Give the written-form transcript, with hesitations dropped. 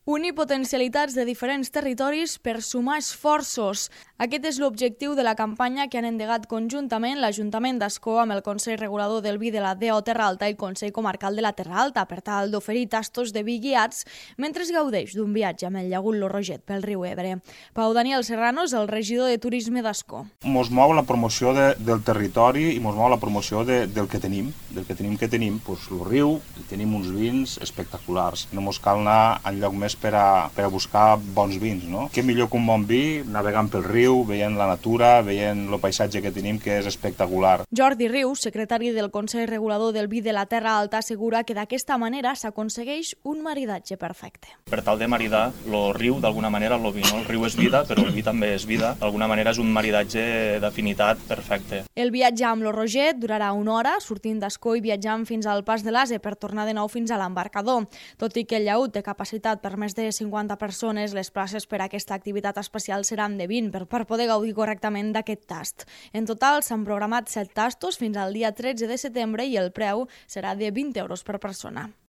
Unir potencialitats de diferents territoris per sumar esforços. Aquest és l'objectiu de la campanya que han endegat conjuntament l'Ajuntament d'Ascó amb el Consell Regulador del Vi de la DO Terra Alta i el Consell Comarcal de la Terra Alta per tal d'oferir tastos de vi guiats mentre es gaudeix d'un viatge amb el llagut Lo Roget pel riu Ebre. Pau Daniel Serrano és el regidor de Turisme d'Ascó. Mos mou la promoció del territori i mos mou la promoció del que tenim. Del que tenim, doncs el riu, tenim uns vins espectaculars. No mos cal anar enlloc més per a buscar bons vins, no? Què millor que un bon vi, navegant pel riu, veient la natura, veient el paisatge que tenim, que és espectacular. Jordi Rius, secretari del Consell Regulador del Vi de la Terra Alta, assegura que d'aquesta manera s'aconsegueix un maridatge perfecte. Per tal de maridar el riu, d'alguna manera, el vi, no? El riu és vida, però el vi també és vida. D'alguna manera és un maridatge d'afinitat perfecte. El viatge amb Lo Roget durarà 1 hora, sortint d'Ascó i viatjant fins al Pas de l'Ase per tornar de nou fins a l'embarcador. Tot i que el llagut té capacitat per més de 50 persones, les places per a aquesta activitat especial seran de 20 per poder gaudir correctament d'aquest tast. En total s'han programat 7 tastos fins al dia 13 de setembre i el preu serà de 20 euros per persona.